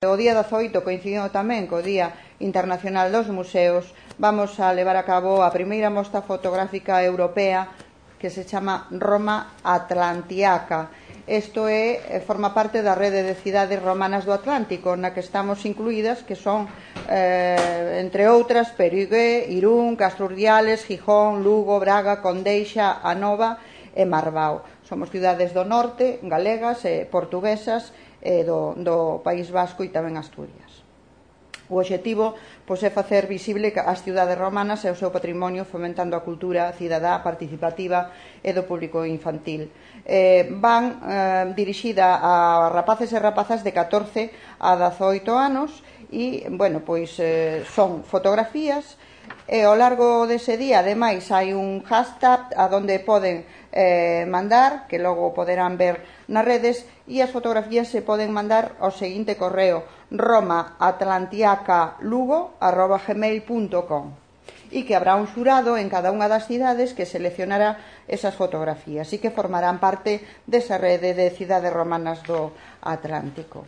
O día 18 coincidindo tamén co Día Internacional dos Museos, vamos a levar a cabo a primeira mostra fotográfica europea que se chama Roma Atlantiaca. Isto forma parte da rede de cidades romanas do Atlántico, na que estamos incluídas, que son, entre outras, Perigué, Irún, Castro Urdiales, Gijón, Lugo, Braga, Condeixa, Anova e Marbao. Somos cidades do norte, galegas e portuguesas, do País Vasco e tamén Asturias. O obxectivo é facer visible as cidades romanas e o seu patrimonio, fomentando a cultura cidadá, participativa e do público infantil. Van dirixida a rapaces e rapazas de 14 a 18 anos e, son fotografías e ao largo dese día, ademais, hai un hashtag a donde poden mandar, que logo poderán ver nas redes, e as fotografías se poden mandar ao seguinte correo: romaatlantiacalugo@gmail.com, e que habrá un xurado en cada unha das cidades que seleccionará esas fotografías e que formarán parte desa rede de cidades romanas do Atlántico.